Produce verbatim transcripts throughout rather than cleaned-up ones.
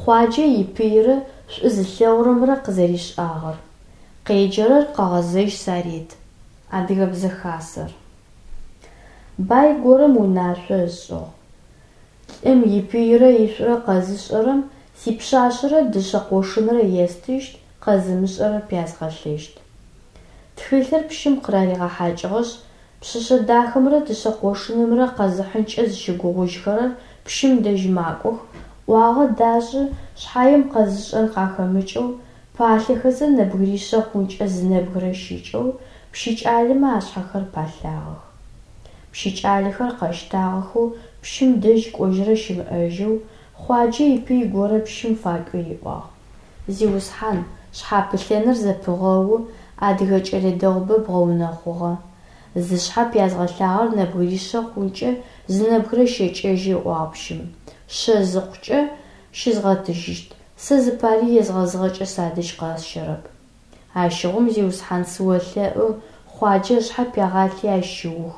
Хъуаджэ ипыйрэ шӏу зылъэгъурэмрэ къызэришӏагъэр. Къеджэрэр Къэгъэзэжь Сарет. Адыгэбзэ хасэр. Бай горэм унашъо ышӏыгъ: Лӏым ипыйрэ ишӏурэ къэзышӏэрэм сипшъашъэрэ дышъэ къошынрэ естыщт, къэзымышӏэрэр пязгъэлъэщт. Тхылъыр пщым къыраригъэхьакӏыгъэшъ, пшъэшъэ дахэмрэ дышъэ къошынымрэ къэзыхьынкӏэ зыщыгугъыжьхэрэр пщым дэжь макӏох, ӏуагъэ дашӏы шъхьаем къэзышӏэн къахэмыкӏэу, палъэхэзэ нэбгыришъэ хъункӏэ зы нэбгырэ щыкӏэу, пщы кӏалэмэ ашъхьэхэр палъагъэх. Пщы кӏалэхэр къэщтагъэхэу пщым дэжь кӏожьырэ щымыӏэжьэу, Хъуаджэ ипый горэ пщым факӏуи риӏуагъ: Зиусхьан, шъхьапылъэныр зэпыгъэу, адыгэ кӏэлэ дэгъубэ бгъэунэхъугъэ. Зышъхьэ пязгъэлъагъэр нэбгыришъэ хъункӏэ зы нэбгырэ щэкӏэжьы, ыӏуагъ пщым. Шъэ зыхъукӏэ щызгъэтыжьыщт, сэ зыпари езгъэзыгъэкӏэ садэжь къэсщэрэп. Ащыгъум, зиусхьан, сыолъэӏу, Хъуаджэ ышъхьэ пягъалъи ащ щыух.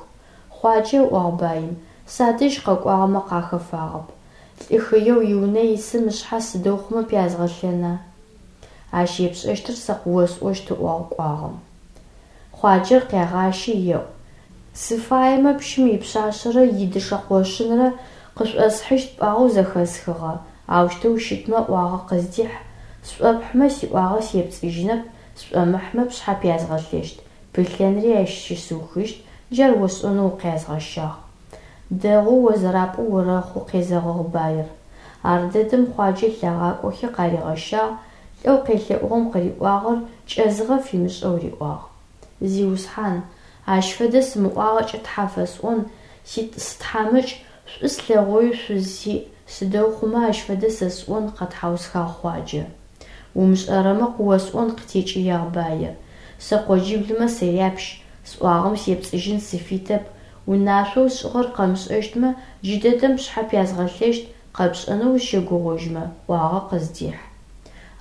Хъуаджэ, ыӏуагъ баим, садэжь къэкӏуагъэмэ къахэфагъэп. Лӏы хыеу иунэ исым ышъхьэ сыдэу хъумэ пязгъэлъэна? Ащ епшӏэщтыр сэ къыосӏощт, ыӏуагъ кӏуагъэм. Хъуаджэр къягъащи еӏу: Сыфаемэ пщым ипшъашъэрэ идышъэ къошынрэ къышӏосхьыщт пӏуагъэу зэхэсхыгъэ, аущтэу щытмэ ӏуагъэ къыздихь, сшӏопхьымэ сиӏуагъэ сепцӏыжьынэп, сшӏомыхьмэ пшъхьэ пязгъэлъэщт, пылъэнри ащ щысыухыщт, джар осӏонэу укъязгъэщагъ. Дэгъоу о зэрапӏоу орэхъу, къезэгъыгъ баир. Ардэдэм Хъуаджэ лъагъакӏохи къаригъэщагъ, лӏэу къелъэӏугъэм къыриӏуагъэр кӏэзыгъэ фимышӏэу риӏуагъ: Зиусхьан, ащ фэдэ сымыӏуагъэкӏэ тхьа фэсӏон, сытхьамыкӏ, шӏу слъэгъоуи шъуз сиӏ, сыдэу хъумэ ащ фэдэ сэ сӏон, къэтхьаусхагъ Хъуаджэ. Умышӏэрэмэ къыосӏон, къытекӏыягъ баир. Сэ къоджиблымэ сыряпщ, сӏуагъэм сепцӏыжьын сыфитэп, унашъоу сшӏыгъэр къэмышӏэщтмэ, джыдэдэм пшъхьэ пязгъэлъэщт, къэпшӏэнэу узщэгугъыжьмэ, ӏуагъэ къыздихь.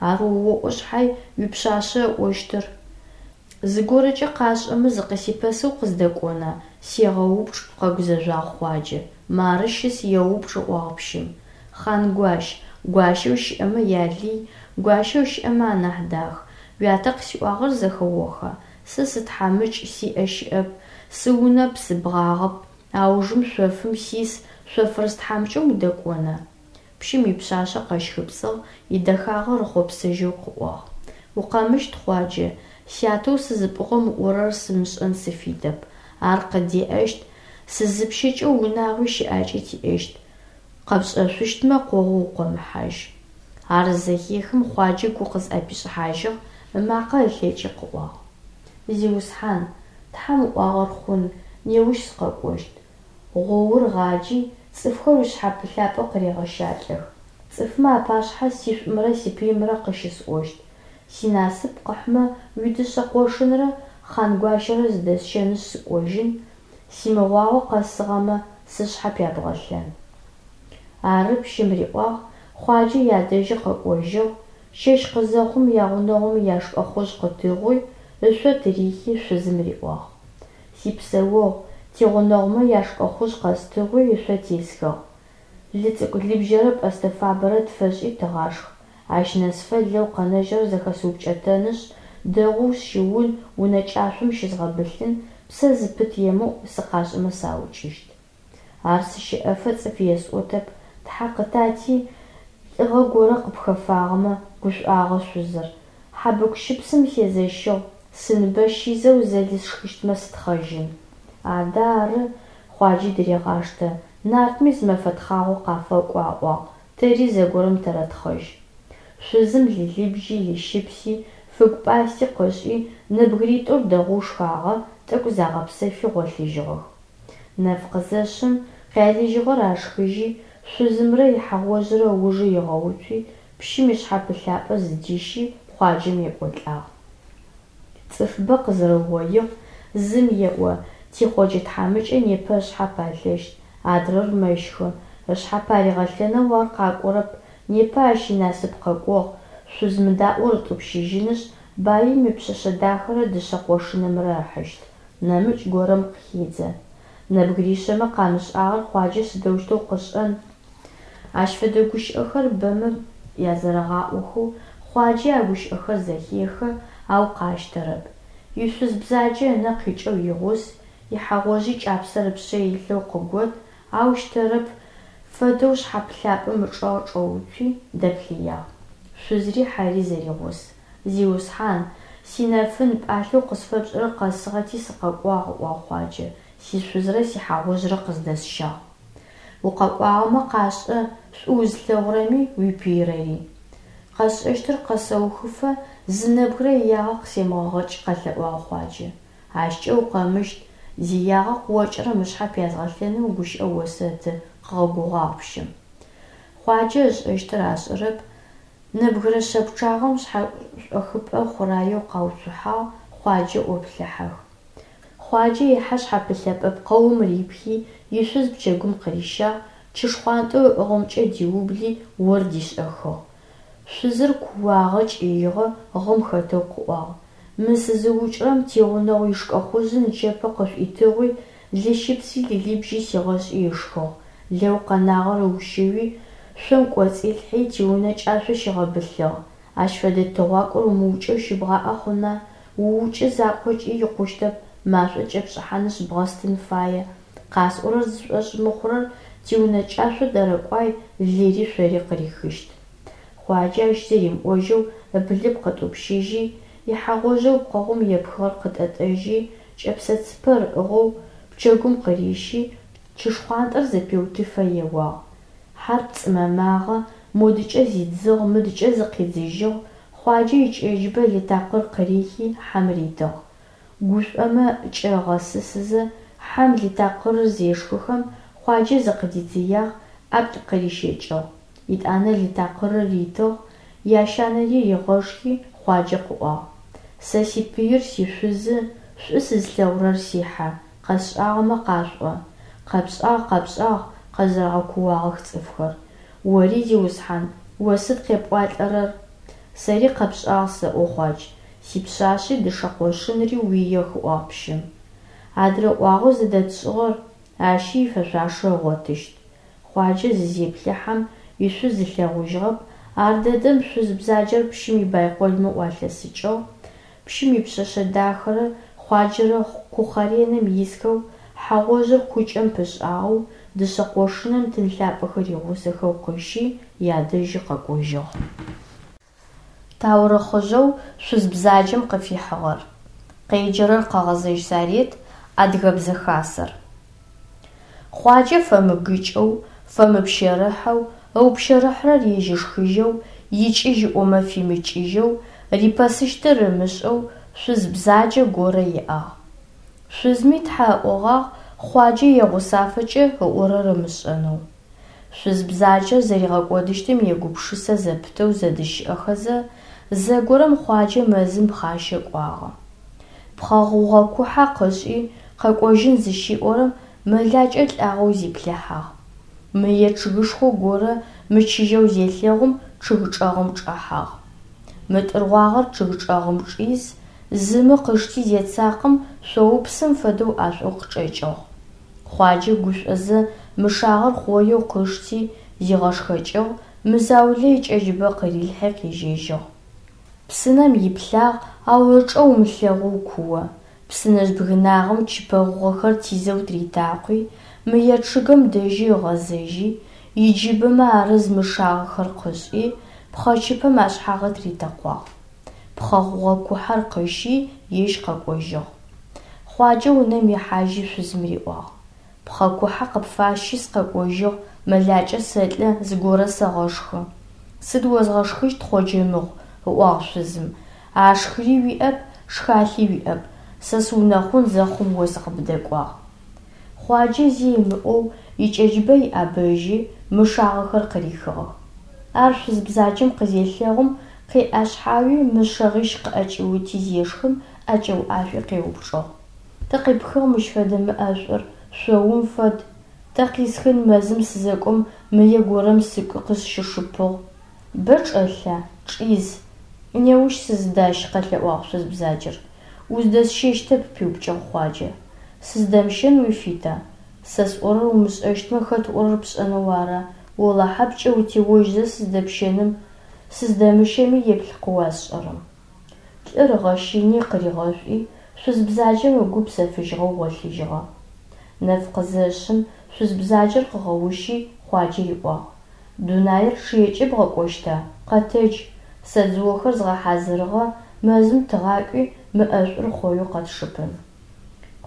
Ар оӏо шъхьай уипшъашъэ ыӏощтыр? Зыгорэкӏэ къашӏэмэ зыкъысипэсэу къыздэкӏона? Сегъэупчӏ, къэгузэжъуагъ Хъуаджэ. Мары щыс еупчӏ, ыӏуагъ пщым. Хъангуащ, гуащэу щыӏэмэ ялый, гуащэу щыӏэмэ анахь дах. Уятэ къысиӏуагъэр зэхэоха? Сэ сытхьамыкӏ, сиӏэ щыӏэп, сыунэп, сыбгъагъэп, аужым шъофым сис, шъофрыс тхьамыкӏэм удэкӏона? Пщым ипшъашъэ къэщхыпцӏыгъ, идэхагъэ рыхъопсэжьэу къыӏуагъ: Укъэмыщт, Хъуаджэ, сятэу сызыпӏугъэм ыӏорэр сымышӏэн сыфитэп, ар къыддеӏэщт, сызыпщэкӏэ унагъуи щыӏакӏи тиӏэщт, къэпшӏэшъущтмэ къогъу укъомыхьажь. Ар зызэхехым Хъуаджэ гу къызӏэпишӏыхьажьыгъ, ымакъэ ылъэкӏи къыӏуагъ: Зиусхьан, Тхьэм ыӏуагъэр хъун, неущ сыкъэкӏощт. Гъоур гъаджи, цӏыфхэр уишъхьапылъапӏэ къырегъэщалӏэх. Цӏыфмэ апашъхьэ сишӏумрэ сипыимрэ къыщысӏощт. Синасып къыхьмэ, уидышъэ къошынрэ Хъангуащэрэ зыдэсщэнышъ сыкӏожьын, симыгъуагъо къэсыгъэмэ, сышъхьэ пябгъэлъэн. Ары пщым риӏуагъ, Хъуаджэ ядэжьы къэкӏожьыгъ, чэщ къызэхъум ягъунэгъумэ яшкӏэхъужъ къытыгъуи, ышъо тырихи шъузым риӏуагъ: Сипсэогъу, тигъунэгъумэ яшкӏэхъужъ къэстыгъуи ышъо тесхыгъ. Лы цӏыкӏу лыбжьэрэ пӏэстэ фабэрэ тфэшӏи тыгъашх, ащ нэсыфэ лэу къэнэжьырэр зэхэсыупкӏэтэнышъ, дэгъоу сщыун, унэ кӏашъом щызгъэбылъын, псэ зыпыт емыӏу, сыкъашӏэмэ саукӏыщт. Ар сыщэӏэфэ цӏыф есӏотэп, тхьэ къытати, лӏыгъэ горэ къыпхэфагъэмэ, гушӏуагъэ шъузыр. Хьабыкъу-щыпсым сезэщыгъ, сыныбэ щизэу зэ лы сшхыщтмэ сытхъэжьын. Адэ ары, Хъуаджи дырегъаштэ, нартми зы мэфэ тхъагъо къафэкӏо аӏуагъ, тэри зэгорэм тэрэтхъэжь. Шъузым лы лыбжьи, лы щыпси, фыгу пӏасти къышӏи, нэбгыритӏур дэгъоу шхагъэ, тӏэкӏу загъэпсэфи гъолъыжьыгъэх. Нэф къызэшъым, къялыжьыгъэр ашхыжьи, шъузымрэ ихьагъожърэ ыужы ыгъэуцуи, пщым ишъхьапылъапӏэ зыдищи Хъуаджэм екӏолӏагъ. Цӏыфыбэ къызэрэугъоигъ, зым еӏо: тиХъоджэ тхьамыкӏэ непэ ышъхьэ палъэщт, адрэр мэщхы, ышъхьэ паригъэлъэнэу ар къакӏорэп, непэ ащ инасып къэкӏогъ, шъуз мыдаӏор ытӏупщыжьынышъ, баим ипшъэшъэ дахэрэ дышъэ къошынымрэ ыхьыщт, нэмыкӏ горэм къыхедзэ. Нэбгыришъэмэ къамышӏагъэр Хъуаджэ сыдэущтэу къышӏэн? Ащ фэдэ гущыӏэхэр бэмэ Язэрэгъаӏохэу Хъуаджи а гущыӏэхэр зэхехы, ау къащтэрэп. Ишъуз бзаджэ ынэ къикӏэу игъус, ихьэгъожъи кӏапсэр ыпшъэ илъэу къыгот, ау щтэрэп фэдэу шъхьэпылъапӏэм ычӏэгъ чӏэуцуи, дэплъыягъ. Шъузри хьэри зэригъус. Зиусхьан, синэфын, пӏалъэу къысфэпшӏырэр къэсыгъэти сыкъэкӏуагъ, ыӏуагъ Хъуаджэ, сишъузрэ сихьагъожърэ къыздэсщагъ. Укъэкӏуагъэмэ къашӏэ шӏу узылъэгъурэми уипыйрэри. Къэсшӏэщтыр къэсэухыфэ зы нэбгырэ иягъэ къысемыгъэгъэкӏ, къэлъэӏуагъ Хъуаджэ. Ащкӏэ укъэмыщт, зиягъэ къыокӏырэм ышъхьэ пязгъэлъэнэу гущыӏэ осэты, къыгъэгугъагъ пщым. Хъуаджэ ышӏэщтыр ашӏэрэп, нэбгырэ шъэ пчъагъэм шъхьэшӏохыпӏэ хъураеу къауцухьагъ, Хъуаджэ ӏоплъыхьэх. Хъуаджэ ихьэ шъхьэпылъэпӏэ пкъэум рипхи, ишъуз пчэгум къырищагъ, чы шхъуантӏэу ыӏыгъымкӏэ диубли, ор дишӏэхыгъ. Шъузыр кууагъэ, кӏыигъэ, гъым хэтэу къыӏуагъ: Мы сызыукӏырэм тигъунэгъу ишкӏэхъужъы нычэпэ къышӏуитыгъуи, лыщыпси лылыбжьи сигъэшӏи ышхыгъ, лэу къэнагъэр ыущыуи, шъом кӏоцӏилъхьи, тиунэ кӏашъо щигъэбылъыгъ. Ащ фэдэ тыгъуакӏор умыукӏэу щыбгъаӏэ хъуна, уукӏы закъокӏи икъущтэп, машӏо кӏэпшӏыхьанышъ бгъэстын фае. Къасӏорэр зышӏошъ мыхъурэр тиунэ кӏашъо дэрэкӏуай, лыри шъори къырихыщт. Хъуаджэ ащ зи римыӏожьэу ыблыпкъ ытӏупщыжьи, ихьэгъожъэу пкъэгъум епхыгъэр къытӏэтӏэжьи, кӏэпсэ цыпэр ыӏыгъэу пчэгум къырищи, чы шхъуантӏэр зэпеутыфэ еуагъ. Хьэр пцӏымэмагъэ, модыкӏэ зидзыгъ, мыдыкӏэ зыкъидзыжьыгъ, Хъуаджэ икӏэджыбэ лы такъыр къырихи, хьэм ритыгъ. Гушӏомэ кӏэ ыгъэсысызэ, хьэм лы такъырыр зешхыхэм, Хъуаджэ зыкъыдидзыягъ, ӏаплӏ къырищэкӏыгъ. Етӏанэ лы такъырыр ритыгъ, ящанэри ригъэшхи, Хъуаджэ къыӏуагъ: Сэ сипыир сишъузы, шӏу сызылъэгъурэр сихьэ, къэсшӏагъэмэ къашъуӏо. Къэпшӏагъ, къэпшӏагъ, къэзэрэгъэкууагъэх цӏыфхэр. Ори, зиусхьан, о сыд къепӏуалӏэрэр? Сэри къэпшӏагъ сэӏо, Хъуадж, сипшъашъи дышъэ къошынри уиех, ыӏуагъ пщым. Адрэ ӏуагъэу зыдэтшӏыгъэр, ащи ифэшъуашэ ыгъотыщт. Хъуаджэ зызеплъыхьэм, ишъуз ылъэгъужьыгъэп, ардэдэм шъуз бзаджэр пщым ибайколмэ ӏуалъэсыкӏыгъ, пщым ипшъэшъэ дахэрэ Хъуаджэрэ кухъэренэм исхэу, хьэгъожъыр кукӏэм пышӏагъэу, дышъэ къошыным тын лъапӏэхэр игъусэхэу къыщи, ядэжьы къэкӏожьыгъ. Таурыхъыжъэу шъуз бзаджэм къыфихьыгъэр. Къеджэрэр Къэгъэзэжь Сарет, Адыгэбзэ Хасэр. Хъуаджэ фэмыгыкӏэу, фэмыпщэрыхьэу, ыупщэрыхьырэр ежь ышхыжьэу, икӏыжь ыӏомэ фимыкӏыжьэу, рипэсыщтыр ымышӏэу шъуз бзаджэ горэ иӏагъ. Шъузми тхьэ ыӏогъагъ Хъуаджэ егъусафэкӏэ ыӏорэр ымышӏэнэу. Шъуз бзаджэр зэригъэкӏодыщтым егупшысэ зэпытэу зэдыщыӏэхэзэ, зэгорэм Хъуаджэ мэзым пхъащэ кӏуагъэ. Пхъэ гъугъэ кухьэ къышӏи, къэкӏожьын зыщиӏорэм мэлакӏэ лӏагъэу зиплъыхьагъ. Мые чъыгышхо горэ мычыжьэу зелъэгъум чъыг чӏэгъым чӏэхьагъ. Мытӏыргъуагъэр чъыг чӏэгъым чӏиз, зы мы къышти зецакъэм шъоупсым фэдэу ӏэшӏоу къычӏэкӏыгъ. Хъуаджэ гушӏозэ мышагъэр хъоеу къышти, зигъэшхэкӏыгъ, мы заулэ икӏэджыбэ къырилъхьи къежьэжьыгъ. Псынэм иплъагъ, ау ычӏэ умылъэгъоу куо. Псынэжъ бгынагъэм чыпэ гъугъэхэр тизэу тыритакъуи, мые чъыгым дэжьы ыгъэзэжьи, иджыбэмэ арыз мышагъэхэр къышӏи, пхъэчыпэм ашъхьагъы тыритэкъуагъ. Пхъэ гъугъэ кухьэр къыщи, ежь къэкӏожьыгъ. Хъуаджэ унэм ихьажьи шъузым риӏуагъ: Пхъэ кухьэ къыпфасщи сыкъэкӏожьыгъ, мэлакӏэ сэлӏэ, зыгорэ сэгъэшхы. Сыд озгъэшхыщт, Хъоджэ мыгъу, ыӏуагъ шъузым, ашхыри уиӏэп, шхалъи уиӏэп, сэ сыунэхъун зэхъум о сыкъыбдэкӏуагъ. Хъуаджэ зи ымыӏоу икӏэджыбэ иӏэбэжьи, мышагъэхэр къырихыгъэх. Ар шъуз бзаджэм къызелъэгъум, къеӏэшъхьауи, мышъэгъищ къыӏэкӏиути зешхым, ӏэкӏэуӏашӏуи къеупчӏыгъ: Тэ къипхыгъ мыщ фэдэ мы ӏэшӏур, шъоум фэд. Тэ къисхын мэзым сызэкӏом мые горэм сыкӏуи къысщишыпыгъ. Бэ чӏэлъа? Чӏиз. Неущ сыздащ, къэлъэӏуагъ шъуз бзаджэр. Уздэсщэщтэп, пиупкӏыгъ Хъуаджэ. Сыздэмщэн уифита? Сэ сӏорэр умышӏэщтмэ, хэт ыӏорэр пшӏэнэу ара? Олахьэ пкӏэ утеожьзэ сыздэпщэным, Сыздэмыщэми еплъ къыуасшӏэрэм. Лӏыр ыгъэщыни къыригъэшӏуи, шъуз бзаджэм ыгу псэфыжьыгъэу гъолъыжьыгъэ. Нэф къызэшъым, шъуз бзаджэр къыгъэущи, Хъуаджэ риӏуагъ: Дунаир чъыекӏэ бгъэкӏощта, къэтэдж, сэ дзыохэр згъэхьазырыгъэ, мэзым тыгъакӏуи мы ӏэшӏур хъоеу къэтшыпын.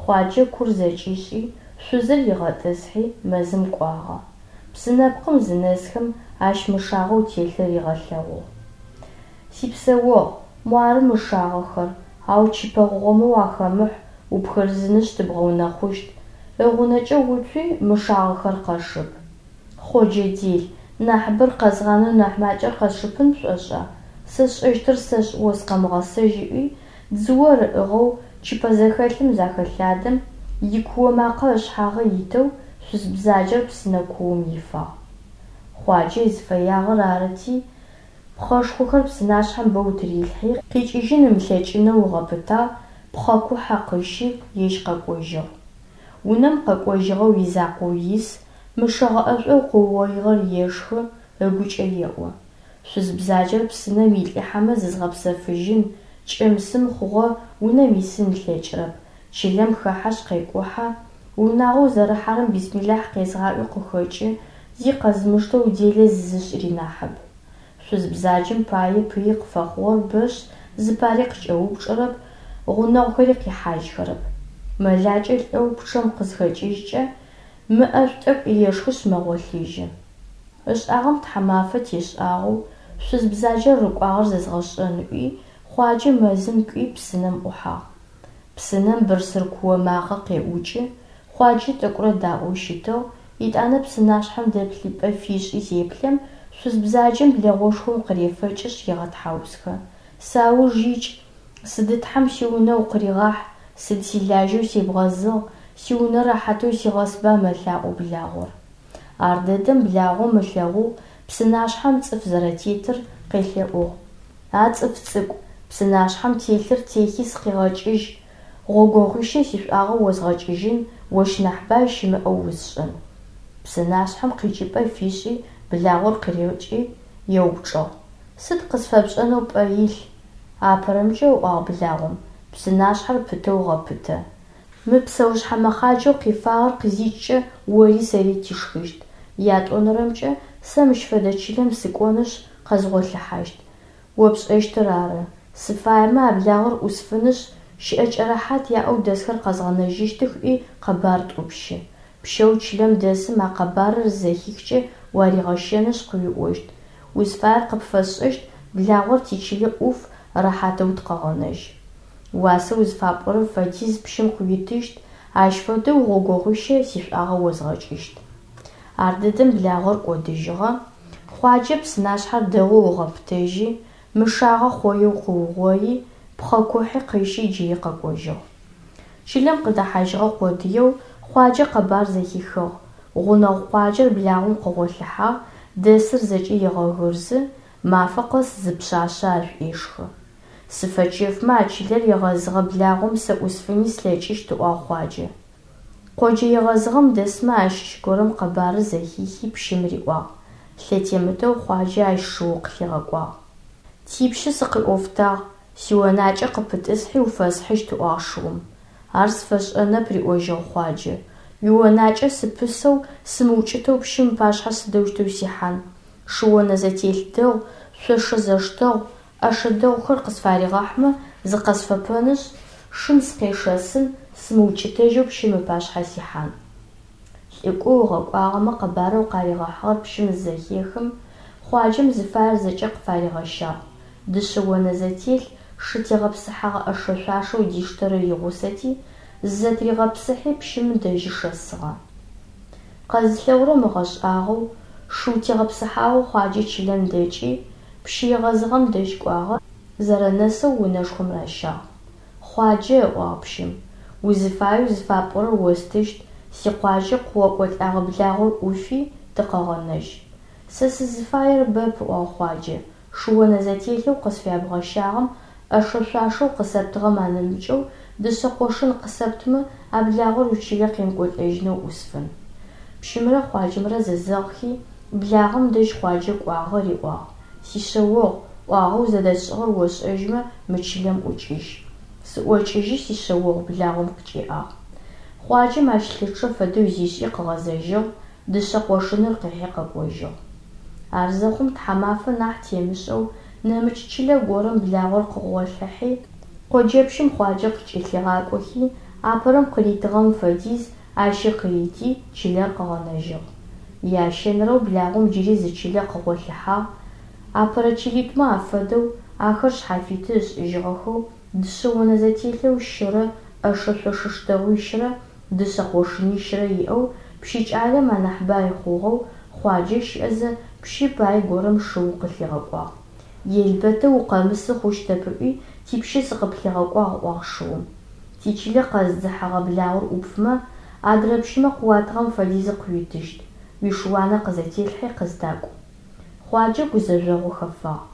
Хъуаджэ кур зэкӏишӏи, шъузыр ригъэтӏысхьи, мэзым кӏуагъэ. Псы нэпкъым зынэсхэм, ащ мышагъэу телъыр ригъэлъэгъугъ. Сипсэогъу, муары мышагъэхэр, ау чыпэ гъугъэмэ уахэмыхь, упхырызынышъ тыбгъэунэхъущт, ыгъунэкӏэ уцуи мышагъэхэр къэшып. Хъоджэ дел, нахьыбэр къэзгъанэу нахь макӏэр къэсшыпын пшӏошӏа, сэ сшӏэщтыр сэшӏ о сыкъэмыгъэсэжь ыӏуи, дзыор ыӏыгъэу чыпэ зэхэлъым захэлъадэм, икуо макъэ ышъхьагъы итэу шъуз бзаджэр псынэ куум ифагъ. Хъуаджэ зыфэягъэр арыти, пхъэшхохэр псынашъхьэм бэу тырилъхьи, къикӏыжьын ымылъэкӏынэу ыгъэпытагъ, пхъэ кухьэ къыщи, ежь къэкӏожьыгъ. Унэм къэкӏожьыгъэу изакъоу ис, мышэгъэ ӏэшӏоу къыугъоигъэр ешхы, ыгукӏэ еӏо: Шъуз бзаджэр псынэм илӏыхьэмэ зызгъэпсэфыжьын, кӏым-сым хъугъэ, унэм исын ылъэкӏырэп, чылэм хэхьэшъ къекӏухьэ, унагъоу зэрыхьэрэм бисмилахь къезгъаӏуи къыхэкӏы, зи къэзымыштэу делэ зызышӏыри нахьыб. Шъуз бзаджэм пае пыи къыфэхъугъэр бэшъ, зыпари къыкӏэупчӏэрэп, гъунэгъухэри къихьажьхэрэп. Мэлакӏэ лӏэу пчъэм къызхэкӏыжькӏэ, мы ӏэшӏу тӏэкӏу ешхышъ мэгъолъыжьы. Ышӏагъэм тхьамафэ тешӏагъэу, шъуз бзаджэр рыкӏуагъэр зэзгъэшӏэн ыӏуи, Хъуаджэ мэзым кӏуи псынэм ӏухьагъ. Псынэм бырсыр куо макъэ къеӏукӏы, Хъуаджэ тӏэкӏурэ даӏоу щытыгъ, етӏанэ псынашъхьэм дэплъыпӏэ фишӏи зеплъэм, шъуз бзаджэм блэгъошхом къырефэкӏышъ егъэтхьаусхэ: Сауж икӏ, сыды тхьэм сиунэ укъыригъахь, сыд силажьэу себгъэзыгъ, сиунэ рэхьатэу сигъэсба мэлъаӏо благъор. Ардэдэм благъом ылъэгъугъ псынашъхьэм цӏыф зэрэтетыр, къелъэӏугъ: А цӏыф цӏыкӏу, псынашъхьэм телъыр техи сыкъигъэкӏыжь, гъогогъуищэ сишӏуагъэ озгъэкӏыжьын, ощ нахь бай щымыӏэу усшӏын. Псынашъхьэм къикӏыпӏэ фишӏи благъор къырикӏи еупчӏыгъ: Сыд къысфэпшӏэнэу пӏэ илъ? Апэрэмкӏэ, ыӏуагъ благъом, псынашъхьэр пытэу гъэпытэ. Мы псэушъхьэ мэхъаджэу къифагъэр къызикӏкӏэ ори сэри тишхыщт. Ятӏонэрэмкӏэ, сэ мыщ фэдэ чылэм сыкӏонышъ къэзгъолъыхьащт. О пшӏэщтыр ары. Сыфаемэ а благъор ӏусфынышъ, щыӏэкӏэ рэхьат яӏэу дэсхэр къэзгъэнэжьыщтых ыӏуи къэбар тӏупщы. Пщэу чылэм дэсым а къэбарыр зызэхихкӏэ уаригъэщэнышъ къыуиӏощт: Узфаер къыпфэсшӏэщт, благъор тичылэ ӏуф, рэхьатэу тыкъэгъэнэжь. Уасэу зыфапӏорэм фэдиз пщым къыуитыщт, ащ фэдэу гъогогъуищэ сишӏуагъэ озгъэкӏыщт. Ардэдэм благъор кӏодыжьыгъэ, Хъуаджэ псынашъхьэр дэгъоу ыгъэпытэжьи, мышагъэ хъоеу къыугъои, пхъэ кухьи къыщи джыри къэкӏожьыгъ. Чылэм къыдэхьажьыгъэ къодыеу Хъуаджэ къэбар зэхихыгъ: гъунэгъу къуаджэр благъом къыгъолъыхьагъ, дэсыр зэкӏэ егъэгырзы, мафэ къэс зы пшъашъэ ашӏуешхы. Сыфэчэфмэ а чылэр егъэзыгъэ благъом сэ ӏусфыни слъэкӏыщт, ыӏуагъ Хъуаджэ. Къоджэ егъэзыгъэм дэсмэ ащыщ горэм къэбарыр зэхихи пщым риӏуагъ. Лъэтемытэу Хъуаджэ ащ шыу къылъигъэкӏуагъ. Типщы сыкъиӏофтагъ, сионакӏэ къыпытӏысхьи уфэсхьыщт, ыӏуагъ шыум. Ар сфэшӏэнэп, риӏожьыгъ Хъуаджэ. Уионакӏэ сыпысэу, сымыукӏытэу пщым ыпашъхьэ сыдэущтэу сихьан? Шыонэзэтелъ дэгъу, шъошэ зэштэгъу, ӏэшэ дэгъухэр къысфаригъэхьмэ, зыкъэсфэпэнышъ, шым сыкъешэсын, сымыукӏытэжьэу пщым ыпашъхьэ сихьан. Лӏыкӏоу ыгъэкӏуагъэмэ къэбарэу къаригъэхьыгъэр пщым зызэхехым, Хъуаджэм зыфаер зэкӏэ къыфаригъэщагъ. Дышъэ онэзэтелъ, шы тегъэпсыхьэгъэ ӏэшэ-шъуашэу диштэрэр игъусэти, зызэтыригъэпсыхьи пщым дэжьы шэсыгъэ. Къэзылъэгъурэм ыгъэшӏагъоу, шыу тегъэпсыхьагъэу Хъуаджэ чылэм дэкӏи, пщы егъэзыгъэм дэжь кӏуагъэ, зэрэнэсэу унэшхом ращагъ. Хъуаджэ, ыӏуагъ пщым, узыфаеу зыфапӏорэр остыщт, сикъуаджэ къыокӏолӏагъэ благъор ӏуфи, тыкъэгъэнэжь. Сэ сызыфаер бэп, ыӏуагъ Хъуаджэ, шыонэзэтелъэу къысфябгъэщагъэм, ӏэшэ-шъуашэу къысэптыгъэм анэмыкӏэу дышъэ къошын къысэптымэ, а благъор уичылэ къемыкӏолӏэжьынэу ӏусфын. Пщымрэ Хъуаджэмрэ зэзэгъхи, благъэм дэжь Хъуаджэ кӏуагъэ, риӏуагъ: Сишъэогъу, ӏуагъэу зэдэтшӏыгъэр ошӏэжьмэ, мы чылэм ӏукӏыжь. Сыӏокӏыжьы, сишъэогъу, благъом къыкӏиӏагъ. Хъуаджэм ащ лъычъэ фэдэу зишӏи къыгъэзэжьыгъ, дышъэ къошыныр къыхьи къэкӏожьыгъ. Ар зэхъум тхьамафэ нахь темышӏэу нэмыкӏ чылэ горэм благъор къыгъолъыхьи, къоджэпщым Хъуаджэ къыкӏэлъигъакӏохи, апэрэм къыритыгъэм фэдиз ащи къырити, чылэр къыгъэнэжьыгъ. Ящэнэрэу благъом джыри зы чылэ къыгъолъыхьагъ, апэрэ чылитӏумэ афэдэу, ахэр шъхьафиты ышӏыжьыгъэхэу, дышъэ онэ зэтелъэу щырэ, ӏэшэ-шъошэ штэгъуищрэ, дышъэ къошынищрэ иӏэу, пщы кӏалэм анахь бай хъугъэу, Хъуаджэ щыӏэзэ, пщы бай горэм шыу къылъигъэкӏуагъ. Елбэтэу укъэмысы хъущтэп ыӏуи, типщы сыкъыплъигъэкӏуагъ, ыӏуагъ шыум. Тичылэ къэзыдзыхьэгъэ благъор ӏупфымэ, адрэ пщымэ къыуатыгъэм фэдизы къыуитыщт, уишыуанэ къызэтелъхьи къыздакӏу. Хъуаджэ гузэжъогъу хэфагъ.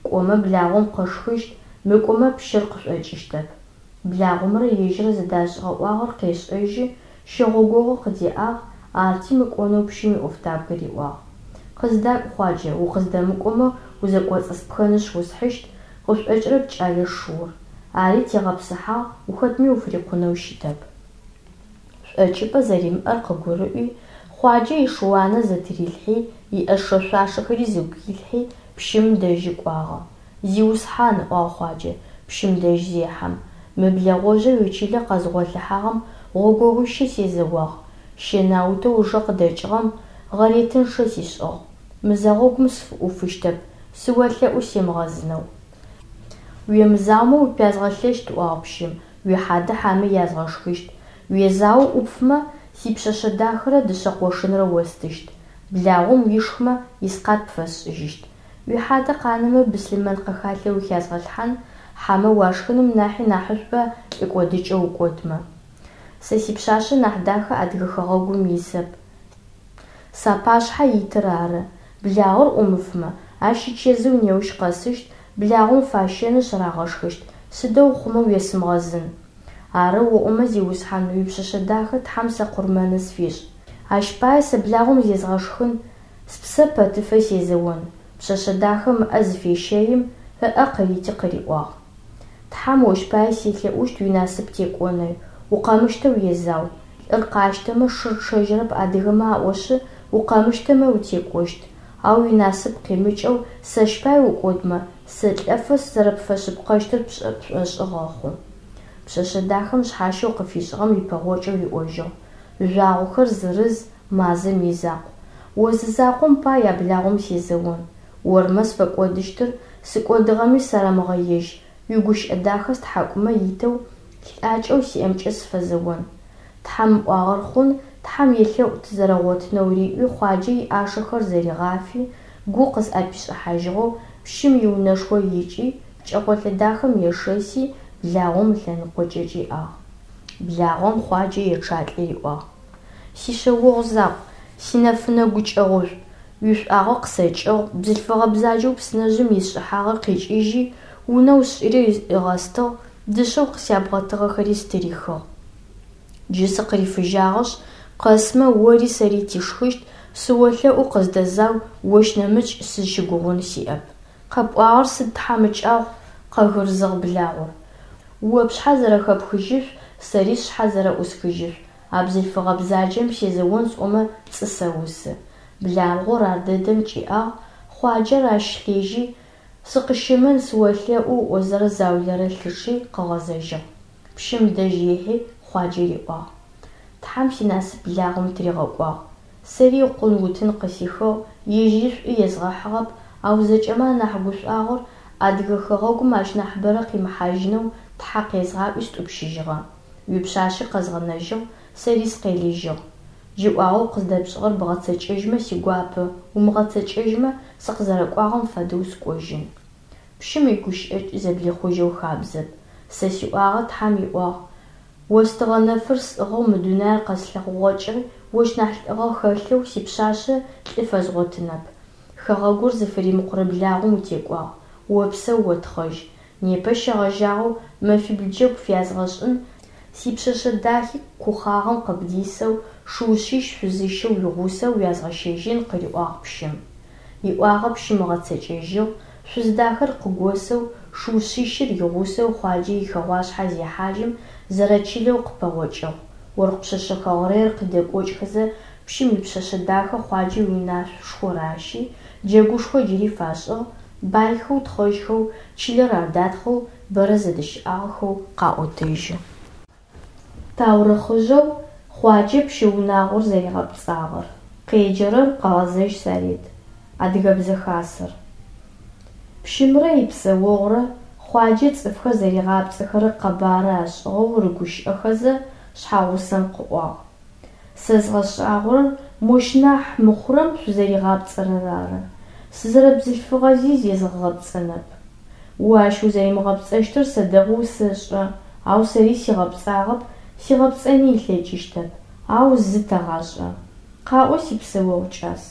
Кӏомэ благъом къышхыщт, мыкӏомэ пщыр къышӏокӏыщтэп. Благъомрэ ежьырэ зэдашӏыгъэ ӏуагъэр къешӏэжьы, щэгъогогъо къыдеӏагъ, арти мыкӏонэу пщым иӏофтабгэ риӏуагъ. Къыздакӏу, Хъуаджэ, укъыздэмыкӏомэ, узэкӏоцӏыспхэнышъ усхьыщт, къышӏокӏырэп кӏэлэ шыур. Ари тегъэпсыхьагъ, ухэтми уфырикъунэу щытэп. Шӏокӏыпӏэ зэримыӏэр къыгурыӏуи, Хъуаджэ ишыуанэ зэтырилъхьи, иӏэшэ-шъуашэхэри зыгуилъхьи, пщым дэжьы кӏуагъэ. Зиусхьан, ыӏуагъ Хъуаджэ, пщым дэжь зехьэм, мы блэгъожъэу уичылэ къэзгъолъыхьагъэм гъогогъуищэ сезэуагъ, щэнаутэу ыжэ къыдэкӏыгъэм гъэретынчъэ сишӏыгъ. Мызэгъогум сфыӏуфыщтэп, сыолъэӏу семыгъэзынэу. Уемызаомэ упязгъэлъэщт, ыӏуагъ пщым, уихьадэ хьэмэ язгъэшхыщт. Уезаоу ӏупфымэ, сипшъэшъэ дахэрэ дышъэ къошынрэ остыщт. Благъом уишхымэ, искъат пфэсшӏыжьыщт. Уихьадэ къанэмэ, быслъымэн къэхалъэ ухязгъэлъхьан, хьэмэ уашхыным нахьи нахьышӏуба лӏы кӏодыкӏэ укӏодмэ. Сэ сипшъашъэ нахь дахэ Адыгэ хэгъэгум исэп, сапашъхьэ итыр ары. Благъор ӏумыфмэ, ащ ичэзыу неущ къэсыщт, благъом фащэнышъ рагъэшхыщт, сыдэу хъумэ уесымыгъэзын. Арэу оӏомэ, зиусхьан, уипшъэшъэ дахэ Тхьэм сэ къурмэны сфишӏ. Ащ пае сэ благъом зезгъэшхын, спсэ пэтыфэ сезэон. Пшъэшъэ дахэм ыӏэ зыфещэим, ыӏэ къырити къыриӏуагъ. Тхьэм ощ пае селъэӏущт уинасып текӏонэу, укъэмыщтэу езау. Лӏыр къащтэмэ, шыр чъэжьырэп адыгэмэ аӏошъы, укъэмыщтэмэ утекӏощт. Ау уинасып къимыкӏэу сэщ пае укӏодмэ, сэлӏэфэ сызэрэпфэшъыпкъэщтыр пшӏошъы гъэхъу. Пшъэшъэ дахэм шъхьащэу къыфишӏыгъэм ипэгъокӏэу риӏожьыгъ: Жъуагъохэр зырыз, мазэм изакъу. О зы закъом пай а благъом сезэон. Ормэ сфэкӏодыщтыр, сыкӏодыгъэми сарэмыгъэежь, уигущыӏэ дахэ стхьакӏумэ итэу, лӏакӏэу сиӏэмкӏэ сыфэзэон. Тхьэм ыӏуагъэр хъун, Тхьэм елъэӏу тызэрэгъотынэу риӏуи, Хъуаджэ иӏашэхэр зэригъафи, гу къызӏэпишӏыхьажьыгъэу пщым иунэшхо икӏи, пкӏэкъолэ дахэм ешэси, благъом ылъэныкъокӏэ кӏиӏагъ. Благъом Хъуаджэ ечъалӏи риӏуагъ: Сишъэогъу закъу, синэфынэ гукӏэгъушӏу, уишӏуагъэ къысэкӏыгъ, бзылъфыгъэ бзаджэу псынэжъым исшӏыхьагъэр къикӏыжьи, унэу сшӏыри ыгъэстыгъ, дышъэу къысябгъэтыгъэхэри стырихыгъ. Джы сыкъырифыжьагъэшъ, къэсмэ, ори сэри тишхыщт, сыолъэӏу къыздэзау, ощ нэмыкӏ сызщыгугъын сиӏэп. Къэпӏуагъэр сыд тхьамыкӏагъу, къэгырзыгъ благъор. О пшъхьэ зэрэхэпхыжьышъу, сэри сшъхьэ зэрэӏусхыжьышъу, а бзылъфыгъэ бзаджэм сезэон сӏомэ пцӏы сэусы. Благъор ардэдэм кӏиӏагъ, Хъуаджэр ащ лъежьи, сыкъыщымын сыолъэӏу ыӏозэ заулэрэ лъычъи къыгъэзэжьыгъ. Пщым дэжь ехьи, Хъуаджэ риӏуагъ: Тхьэм синасып благъом тыригъэкӏуагъ. Сэри икъун утын къысихыгъ, ежьыри шӏу езгъэхьыгъэп, ау зэкӏэмэ анахь гушӏуагъор Адыгэ хэгъэгум ащ нахьыбэрэ къимыхьажьынэу Тхьэ къезгъаӏуи стӏупщыжьыгъэ. Уипшъашъи къэзгъэнэжьыгъ, сэри сыкъелыжьыгъ. Джы ӏуагъэу къыздэпшӏыгъэр бгъэцэкӏэжьмэ сигуапэ, умыгъэцэкӏэжьмэ, сыкъызэрэкӏуагъэм фэдэу сыкӏожьын. Пщым игущыӏэ зэблихъужьэу хабзэп. Сэ сиӏуагъэ Тхьэм иӏуагъ. Остыгъэ нэфыр сӏыгъэу мы дунаир къэслъэгъугъэкӏи, ощ нахь лӏыгъэ хэлъэу сипшъашъэ лӏы фэзгъотынэп. Хэгъэгур зыфыримыкъурэ благъом утекӏуагъ, опсэу, отхъэжь. Непэ щегъэжьагъэу мэфибл джэгу пфязгъэшӏын, сипшъэшъэ дахи кухъагъэм къыбдисэу, шыу шъищ шъузыщэу уигъусэу уязгъэщэжьын, къыриӏуагъ пщым. Иӏуагъэ пщым ыгъэцэкӏэжьыгъ, шъуз дахэр къыгосэу, шыу шъищыр игъусэу Хъуаджэ ихэгъуашъхьэ зехьажьым, зэрэчылэу къыпэгъокӏыгъ. Оркъ пшъэшъэ хэгърэйхэр къыдэкӏокӏхэзэ пщым ипшъэшъэ дахэ Хъуаджэ иунашъошхо ращи, джэгушхо джыри фашӏыгъ, байхэу, тхъэжьхэу, чылэр адатхъэу бэрэ зэдыщыӏагъэхэу къаӏотэжьы. Таурыхъыжъэу Хъуаджэ пщы унагъор зэригъэпцӏагъэр. Къеджэрэр Къэгъэзэжь Сарет. Адыгэбзэ хасэр. Пщымрэ ипсэогъурэ Хъуаджэ цӏыфхэр зэригъапцӏэхэрэр къэбары ашӏыгъэу рыгущыӏэхэзэ, шъхьагъусэм къыӏуагъ: Сэ згъэшӏагъорэр мощ нахь мыхъурэм шъузэригъапцӏэрэр ары. Сызэрэбзылъфыгъэзи зезгъэгъэпцӏэнэп. О ащ узэримыгъэпцӏэщтыр сэ дэгъоу сэшӏэ, ау сэри сигъэпцӏагъэп, сигъэпцӏэни ылъэкӏыщтэп, ау зы тэгъашӏэ. Къаӏо, сипсэогъу кӏас.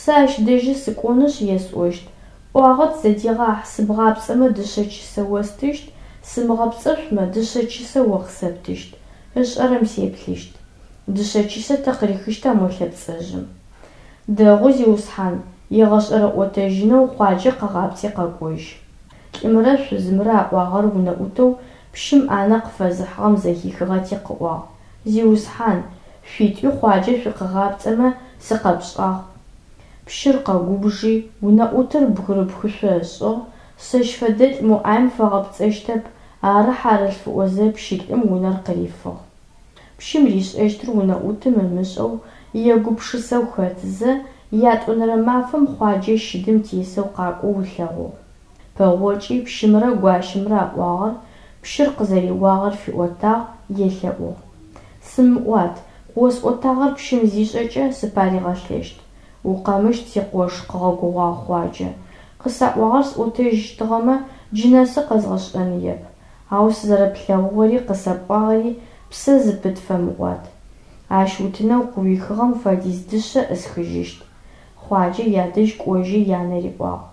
Сэ ащ дэжьы сыкӏонышъ есӏощт: ӏуагъэ тызэдегъахь, сыбгъапцӏэмэ дышъэ чысэ остыщт, сымыгъэпцӏэшъумэ дышъэ чысэ о къысэптыщт. Ышӏэрэм сеплъыщт. Дышъэ чысэ тэ къырихыщта мо лъэпцӏэжъым? Дэгъу, зиусхьан, егъэшӏэрэ ӏотэжьынэу Хъуаджэ къэгъапцӏи къэкӏожь. Лӏымрэ шъузымрэ аӏуагъэр унэӏутэу пщым ӏанэ къыфэзыхьыгъэм зэхихыгъэти къыӏуагъ: Зиусхьан, шъуитӏуи Хъуаджэ шъукъыгъапцӏэмэ сыкъэпшӏагъ. Пщыр къэгубжи, унэӏутыр бгырыпхышъо ышӏыгъ, сэщ фэдэлӏ мо ӏаем фэгъэпцӏэщтэп, ары хьарылъф ыӏозэ пщылӏым унэр къырифыгъ. Пщым ришӏэщтыр унэӏутым ымышӏэу, егупшысэу хэтызэ, ятӏонэрэ мафэм Хъуаджэ щыдым тесэу къакӏоу ылъэгъугъ. Пэгъокӏи пщымрэ гуащэмрэ аӏуагъэр, пщыр къызэреуагъэр фиӏотагъ, елъэӏугъ. Сымыӏуат, къыосӏотагъэр пщым зишӏэкӏэ сыпаригъэлъэщт. Укъэмыщт, сикъош, къыгъэгугъагъ Хъуаджэ. Къысаӏуагъэр сӏотэжьыщтыгъэмэ, джы нэсы къэзгъэшӏэныеп. Ау сызэрэплъэгъугъэри къысэпӏуагъэри псэ зыпыт фэмыӏуат. Ащ утынэу къыуихыгъэм фэдиз дышъэ ӏысхыжьыщт. Хъуаджэ ядэжь кӏожьи янэ риӏуагъ.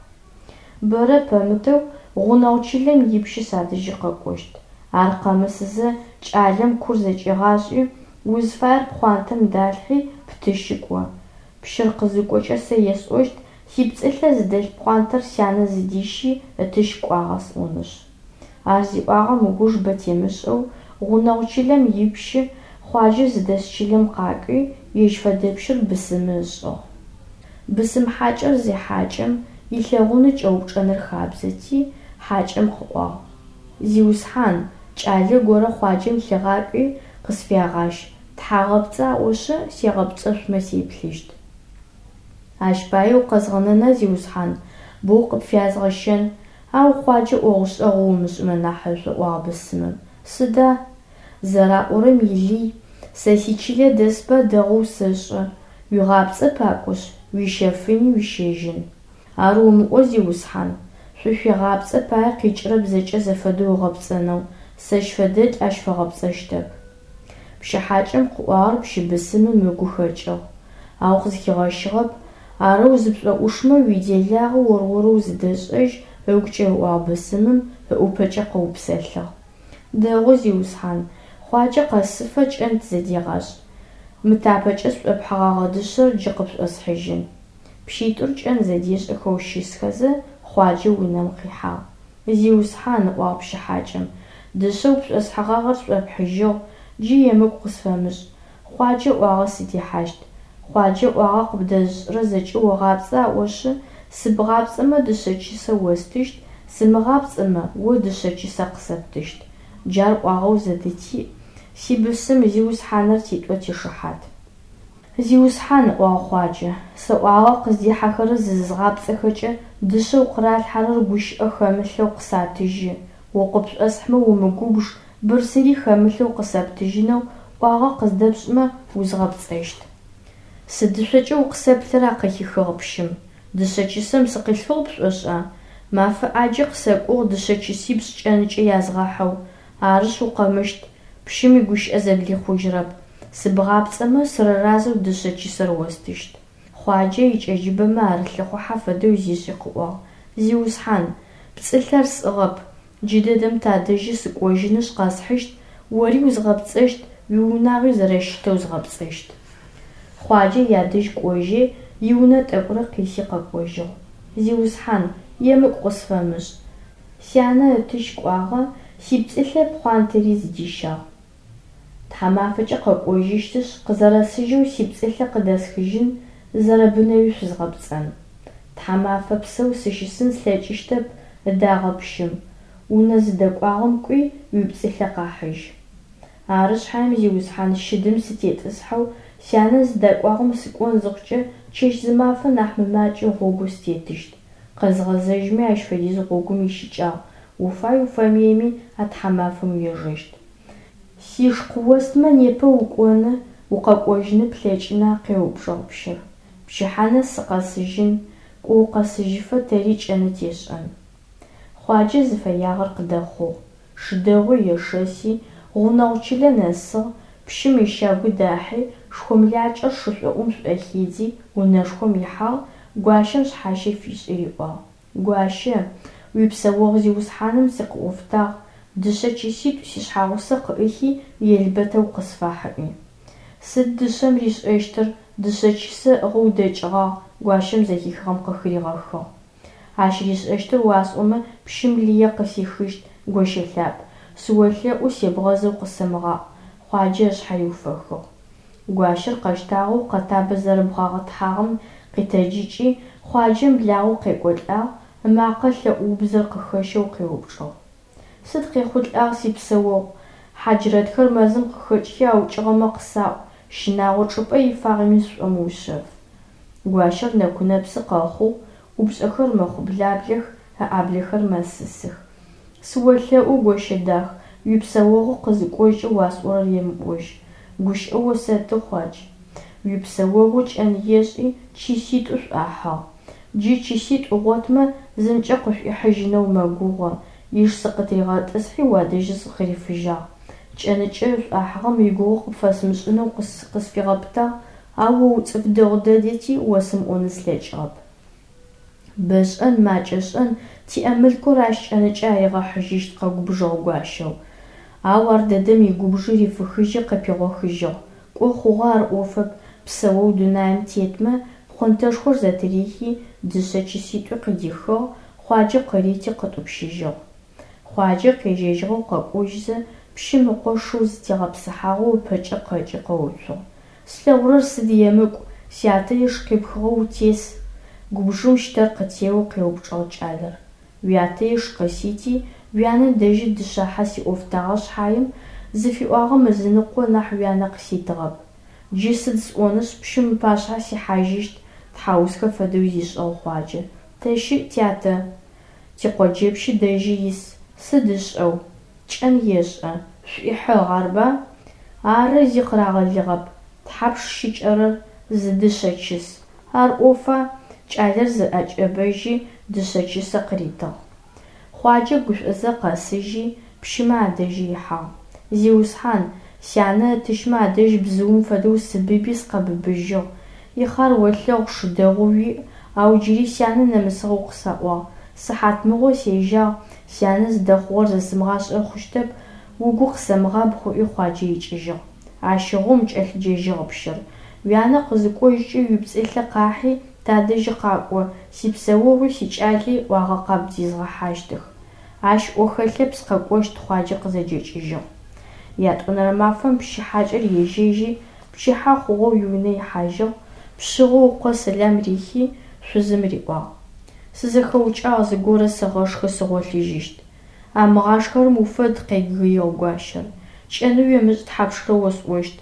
Бэрэ пэмытэу гъунэгъу чылэм ипщы садэжьы къэкӏощт. Ар къэмысызэ кӏалэм кур зэкӏегъашӏи, узфаер пхъуантэм далъхьи птыщи кӏо. Пщыр къызыкӏокӏэ сэ есӏощт, сипцӏылъэ зыдэлъ пхъуантэр сянэ зыдищи ытыщ кӏуагъэ сӏонышъ. Ар зиӏуагъэм ыуж бэ темышӏэу гъунэгъу чылэм ипщы Хъуаджэ зыдэс чылэм къакӏуи, ежь фэдэпщыр бысымы ышӏыгъ. Бысым хьакӏэр зехьакӏэм, илъэгъунэу кӏэупчӏэныр хабзэти, хьакӏэм къыӏуагъ: Зиусхьан, кӏалэ горэ Хъуаджэм лъыгъакӏуи къысфягъащ, тхьагъэпцӏы аӏошъы, сегъэпцӏэшъумэ сеплъыщт. Ащ пае укъэзгъэнэна, зиусхьан, боу къыпфязгъэщэн, ау Хъуаджэ ӏогъу-шӏэгъу умышӏымэ нахьышӏу, ыӏуагъ бысымым. Сыда? Зэраӏорэм илый, сэ сичылэ дэсба дэгъоу сэшӏэ, уегъапцӏэ пакӏошъ, уищэфыни уищэжьын. Ар умыӏо, зиусхьан, шъуфегъапцӏэ пае къикӏырэп зэкӏэ зэфэдэу ыгъэпцӏэнэу, сэщ фэдэлӏ ащ фэгъэпцӏэщтэп. Пщы хьакӏэм къыӏуагъэр пщы бысымым ыгу хэкӏыгъ, ау къызхигъэщыгъэп, арэу зыпшӏоӏушмэ уиделагъэ ор-орэу зыдэшӏэжь ыгукӏэ ыӏуагъ бысымым, ыӏупэкӏэ къыупсэлъыгъ. Дэгъу, зиусхьан, Хъуаджэ къэсыфэ кӏэн тызэдегъашӏ. Мы тапэкӏэ сшӏопхьыгъэгъэ дышъэр джы къыпшӏосхьыжьын. Пщитӏур кӏэн зэдешӏэхэу щысхэзэ, Хъуаджэ унэм къихьагъ. Зиусхьан, ыӏуагъ пщы хьакӏэм, дышъэу пшӏосхьыгъагъэр сшӏопхьыжьыгъ, джы емыкӏу къысфэмышӏ. Хъуаджэ ӏуагъэ сыдихьащт. Хъуаджэ ӏуагъэ къыбдэзышӏырэр зэкӏэ огъапцӏэ аӏошъы, сыбгъапцӏэмэ дышъэ чысэ остыщт, сымыгъапцӏэмэ о дышъэ чысэ къысэптыщт. Джар ӏуагъэу зэдытиӏ, сибысым зиусхьаныр титӏо тишыхьат. Зиусхьан, ыӏуагъ Хъуаджэ, сэ ӏуагъэ къыздихьэхэрэр зызгъапцӏэхэкӏэ дышъэу къыралъхьэрэр гущыӏэ хэмылъэу къысатыжьы, о къыпшӏосхьымэ умыгубж, бырсыри хэмылъэу къысэптыжьынэу ӏуагъэ къыздэпшӏымэ, узгъэпцӏэщт. Сыдышъокӏэ укъысэплъыра къыхихыгъ пщым. Дышъэ чысэм сыкъилъфыгъ пшӏошӏа? Мафэ ӏаджи къысэкӏугъ дышъэ чысипшӏ кӏэнкӏэ язгъэхьэу. Арышъ, укъэмыщт, пщым игущыӏэ зэблихъужьырэп. Сыбгъапцӏэмэ, сырыразэу дышъэ чысэр остыщт. Хъуаджэ икӏэджыбэмэ арылъыхъухьэ фэдэу зишӏи къыӏуагъ: Зиусхьан, пцӏылъэр сӏыгъэп, джыдэдэм тадэжьы сыкӏожьынышъ къэсхьыщт, ори узгъэпцӏэщт, уиунагъуи зэрэщытэу згъэпцӏэщт. Хъуаджэ ядэжь кӏожьи, Иунэ тӏэкӏурэ къиси къэкӏожьыгъ. Зиусхьан, емыкӏу къысфэмышӏ. Сянэ ытыщ кӏуагъэ, сипцӏылъэ пхъуантэри зыдищагъ. Тхьамафэкӏэ къэкӏожьыщтышъ, къызэрэсыжьэу сипцӏылъэ къыдэсхыжьын, зэрэбынэуи шъузгъэпцӏэн. Тхьамафэ псэу сыщысын слъэкӏыщтэп, ыдагъэп пщым. Унэ зыдэкӏуагъэм кӏуи, уипцӏылъэ къахьыжь. Ары шъхьаем, зиусхьан, щыдым сытетӏысхьэу сянэ зыдэкӏуагъэм сыкӏон зыхъукӏэ, чэщ-зымафэ нахь мымакӏэу гъогу сытетыщт. Къэзгъэзэжьми ащ фэдиз гъогум ищыкӏагъ, уфай-уфэмыеми а тхьамафэм уежэщт. Сиш къыостмэ, непэ укӏоны, укъэкӏожьыны плъэкӏына? къеупчӏыгъ пщыр. Пчыхьэ нэс сыкъэсыжьын, кӏо укъэсыжьыфэ тэри кӏэны тешӏэн. Хъуаджэ зыфэягъэр къыдэхъугъ. Шы дэгъуи ешэси, гъунэгъу чылэ нэсыгъ, пщым ищагу дахьи, шхомлакӏэр шышӏоӏум шӏохидзи, унэшхом ихьагъ, гуащэм шъхьащэ фишӏи риӏуагъ: Гуащэ, уипсэогъу зиусхьаным сыкъыӏофтагъ, дышъэ чыситӏу сишъхьагъусэ къыӏыхи, елбэтэу къысфахь ыӏуи. Сыд дышъэм ришӏэщтыр, дышъэ чысэ ыӏыгъэу дэкӏыгъагъ, гуащэм зэхихыгъэм къыхыригъэхыгъ. Ащ ришӏэщтыр уасӏомэ, пщым лые къысихыщт, гощэ лъапӏ. Сыолъэӏу, себгъэзэу къысэмыгъаӏу, Хъуаджэ ышъхьэ риуфэхыгъ. Гуащэр къэщтагъэу къэтабэ зэрэбгъуагъэтхьагъэм къитэджыкӏи, Хъуаджэм благъэу къекӏолӏагъ, ымакъэ лъэӏу убзэр къыхэщэу къеупчӏыгъ. Сыд къехъулӏагъ сипсэогъу? Хьаджрэтхэр мэзым къыхэкӏхи аукӏыгъэмэ къысаӏу, щынагъо чӏыпӏэ ифагъэми сшӏомыушъэф. Гуащэр нэку-нэпсы къэхъугъ, ӏупшӏэхэр мэхъублаблэх, ыӏаблэхэр мэсысых. Сыолъэӏу, гощэ дах, уипсэогъу къызыкӏожькӏэ уасӏорэр емыӏожь. Гущыӏэ осэты, Хъуадж. Уипсэогъу кӏэн ешӏи, чыситӏу шӏуахьыгъ. Джы чыситӏу ыгъотмэ, зымкӏэ къышӏуихьыжьынэу мэгугъэ. Иш сыкъытыригъэтӏысхьи уадэжьы сыкъырифыжьагъ. Кӏэныкӏэ шӏуахьыгъэм игугъу къыпфэсымышӏынэу къысфигъэпытагъ, ау о уцӏыф дэгъу дэдэти осымыӏоны слъэкӏыгъэп. Бэ шӏэн, макӏэ шӏэн, тиӏэ мылъкур ащ кӏэныкӏэ аригъэхьыжьыщт, къэгубжыгъ гуащэу. Ау ар дэдэм игубжи рифыхыжьи къыпигъохыжьыгъ. Кӏо хъугъэ ар ӏофэп, псэоу дунаим тетмэ, пхъонтэшхор зэтырихи, дышъэ чыситӏуи къыдихыгъ, Хъуаджэ къырити къытӏупщыжьыгъ. Хъуаджэ къежьэжьыгъэу къэкӏожьзэ, пщым ыкъо шыу зэтегъэпсыхьагъэу ыпэкӏэ къэкӏи къэуцугъ. Слъэгъурэр сыд емыкӏу, сятэ иш къипхыгъэу утес? Губжым щтэр къытеоу къеупчӏыгъ кӏалэр. Уятэ иш къысити, уянэ дэжьы дышъахьэ сиӏофтагъэ шъхьаем, зыфиӏуагъэм ызыныкъо нахь уянэ къыситыгъэп. Джы сыд сӏонышъ, пщым ыпашъхьэ сихьажьыщт, тхьаусхэ фэдэу зишӏыгъ Хъуаджэ. Тэ щыӏ тятэ? Тикъоджэпщы дэжьы ис. Сыд ышӏэу? Кӏэн ешӏэ. Шӏуихьыгъ, арба? Ары, зи къырагъэлыгъэп. Тхьапш щыкӏэрэр? Зы дышъэ чыс. Ар ӏофа? Кӏалэр зыӏэкӏэбэжьи, дышъэ чысэ къыритыгъ. Хъуаджэ гушӏозэ къэсыжьи, пщымэ адэжьы ихьагъ. Зиусхьан, сянэ ытыщмэ адэжь бзыум фэдэу сыбыби сыкъэбыбыжьыгъ. Ихъар олъэгъу, шы дэгъу уиӏ, ау джыри сянэ нэмысыгъэу къысаӏуагъ. Сыхьатмыгъо сежьагъ, сянэ зыдэхъугъэр зэсымыгъашӏэ хъущтэп, угу къысэмыгъабгъ ыӏуи Хъуаджэ икӏыжьыгъ. Ащыгъум, кӏэлъыджэжьыгъ пщыр, уянэ къызыкӏожькӏэ уипцӏылъэ къахьи тадэжьы къакӏо, сипсэогъуи сикӏали ӏуагъэ къабдезгъэхьащтых. Ащ ӏо хэлъэп, сыкъэкӏощт, Хъуаджэ къызэджэкӏыжьыгъ. Ятӏонэрэ мафэм пщы хьакӏэр ежьэжьи, пчыхьэ хъугъэу иунэ ихьажьыгъ, пшъыгъэу ыкъо сэлам рихи, шъузым риӏуагъ: Сызэхэукӏагъ, зыгорэ сыгъэшхы, сыгъолъыжьыщт. Амыгъашхэрэм уфэд, къегыигъ гуащэр. Кӏэны уемышӏ тхьапшрэ осӏощт.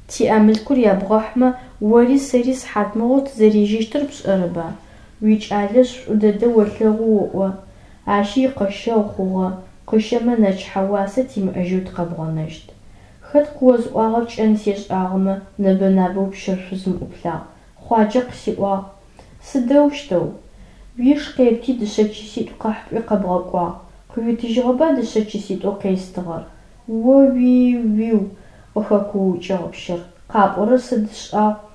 Тиӏэ мылъкур ябгъэхьмэ, ори сэри сыхьатмыгъо тызэрежьэщтыр пшӏэрэба? Уикӏалэшъ, шӏу дэдэ олъэгъу оӏо. Ащи икъэщэгъу хъугъэ, къыщэмэ нэчыхьэ уасэ тимыӏэжьэу тыкъэбгъэнэщт. Хэт къыозыӏуагъэр кӏэн сешӏагъэмэ, нэбэ-набэу пщыр шъузым ӏуплъагъ. Хъуаджэ къысиӏуагъ. Сыдэущтэу? Уиш къепти дышъэ чыситӏу къахь пӏуи къэбгъэкӏуагъ. Къыуитыжьыгъэба дышъэ чыситӏоу къестыгъэр? О-уи-уиу! Къыхэкуукӏыгъ пщыр. Къапӏорэр сыд шӏагъу?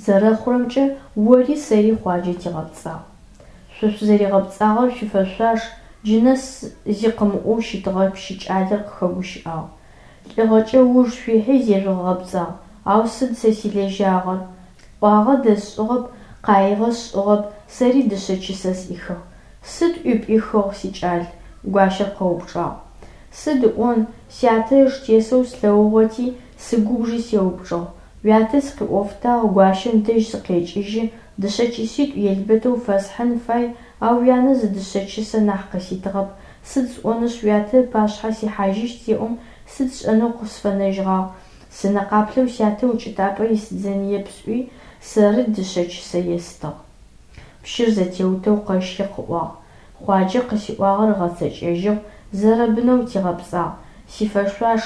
Зэрэхъурэмкӏэ, ори сэри Хъуаджэ тигъэпцӏагъ. Шъо шъузэригъэпцӏагъэр шъуифэшъуаш, джы нэс зи къымыӏоу щытыгъэ пщы кӏалэр къыхэгущыӏагъ. Лӏыгъэкӏэ ыуж шъуихьи зежъугъэгъэпцӏагъ, ау сыд сэ силэжьагъэр? Ӏуагъэ дэсшӏыгъэп, Къаигъэ сшӏыгъэп, сэри дышъэ чысэ сӏихыгъ. Сыд ӏуи пӏихыгъ, сикӏал? Гуащэр къэупчӏагъ. Сыд ыӏон, сятэ ыш тесэу слъэгъугъэти, сыгубжи сеупчӏыгъ. Уятэ сыкъиӏофтагъ, гуащэм дэжь сыкъекӏыжьы, дышъэ чыситӏу елбэтэу фэсхьын фай, ау уянэ зы дышъэ чысэ нахь къыситыгъэп, сыд сӏонышъ уятэ ыпашъхьэ сихьажьыщт зеӏом, сыд сшӏэнэу къысфэнэжьыгъагъ, сынэ къаплъэу сятэ укӏытапӏэ исыдзэныеп сӏуи, сэры дышъэ чысэ естыгъ. Пщыр зэтеутэу къэщхи къыӏуагъ: Хъуаджэ къысиӏуагъэр ыгъэцэкӏэжьыгъ, зэрэбынэу тигъэпцӏагъ, сифэшъуаш,